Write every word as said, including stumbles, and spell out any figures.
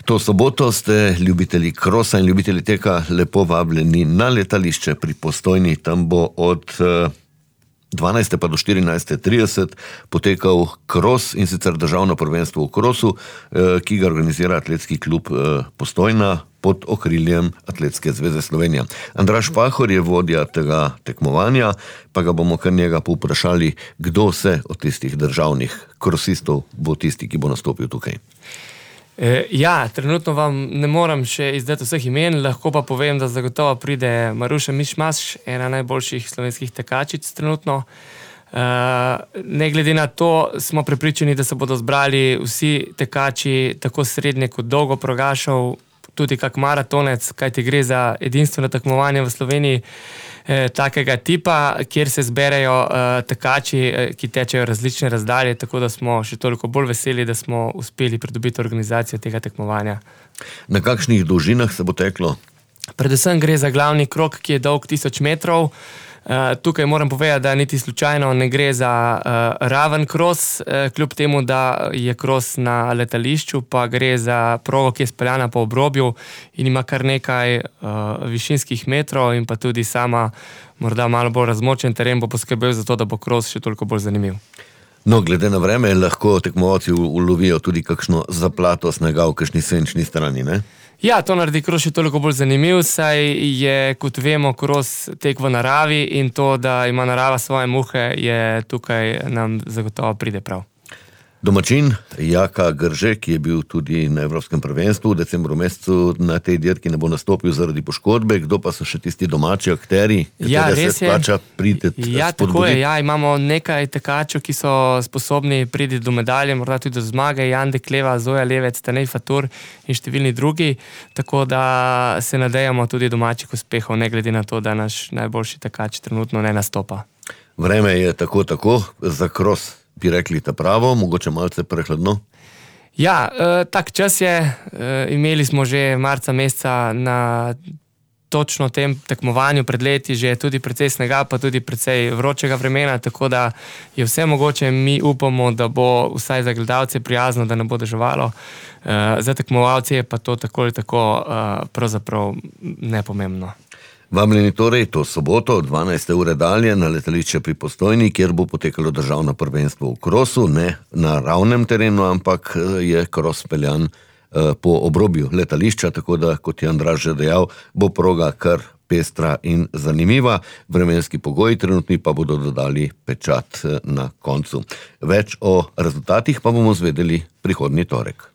To soboto ste ljubitelji krosa in ljubitelji teka lepo vabljeni na letališče pri Postojni. Tam bo od dvanajste pa do štirinajste trideset potekal kros, in sicer državno prvenstvo v krosu, ki ga organizira atletski klub Postojna pod okriljem Atletske zveze Slovenije. Andraž Pahor je vodja tega tekmovanja, pa ga bomo kar njega povprašali, kdo se od tistih državnih krosistov bo tisti, ki bo nastopil tukaj. Ja, trenutno vam ne moram še izdati vseh imen, lahko pa povem, da zagotovo pride Maruša Mišmaš, ena najboljših slovenskih tekačic trenutno. Ne glede na to, smo prepričani, da se bodo zbrali vsi tekači, tako srednje kot dolgo progašov, tudi kak maratonec, kajti gre za edinstveno tekmovanje v Sloveniji eh, takega tipa, kjer se zberejo eh, tekači, eh, ki tečejo različne razdalje, tako da smo še toliko bolj veseli, da smo uspeli pridobiti organizacijo tega tekmovanja. Na kakšnih dolžinah se bo teklo? Predvsem gre za glavni krog, ki je dolg tisoč metrov. Uh, tukaj moram povedati, da niti slučajno ne gre za uh, raven kros, uh, kljub temu, da je kros na letališču, pa gre za progo, ki je speljana po obrobju in ima kar nekaj uh, višinskih metrov, in pa tudi sama morda malo bolj razmočen teren bo poskrbel za to, da bo kros še toliko bolj zanimiv. No, glede na vreme, lahko tekmovalci ulovijo tudi kakšno zaplato snega v kakšni senčni strani, ne? Ja, to naredi kros še toliko bolj zanimiv, saj je, kot vemo, kros tek v naravi, in to, da ima narava svoje muhe, je tukaj nam zagotovo pride prav. Domačin Jaka Grže, ki je bil tudi na Evropskem prvenstvu v decembru mesecu, na tej dirki ne bo nastopil zaradi poškodbe. Kdo pa so še tisti domači akteri, ja, katere se splača priti ja, tako je, ja, imamo nekaj tekačev, ki so sposobni priti do medalje, morda tudi do zmage, Jan Dekleva, Zoja Levec, Tanej Fatur in številni drugi, tako da se nadejamo tudi domačih uspehov, ne glede na to, da naš najboljši tekač trenutno ne nastopa. Vreme je tako tako za kros, bi rekli, ta pravo, mogoče malce prehladno? Ja, eh, tak čas je, eh, imeli smo že marca meseca na točno tem tekmovanju pred leti že tudi precej snega, pa tudi precej vročega vremena, tako da je vse mogoče. Mi upamo, da bo vsaj za gledalce prijazno, da ne bo deževalo. Eh, za tekmovalce je pa to tako ali tako eh, pravzaprav nepomembno. Vabljeni torej to soboto od dvanajste ure dalje na letališče pri Postojni, kjer bo potekalo državno prvenstvo v krosu, ne na ravnem terenu, ampak je kros peljan po obrobju letališča, tako da, kot je Andraž že dejal, bo proga kar pestra in zanimiva. Vremenski pogoji trenutni pa bodo dodali pečat na koncu. Več o rezultatih pa bomo zvedeli prihodnji torek.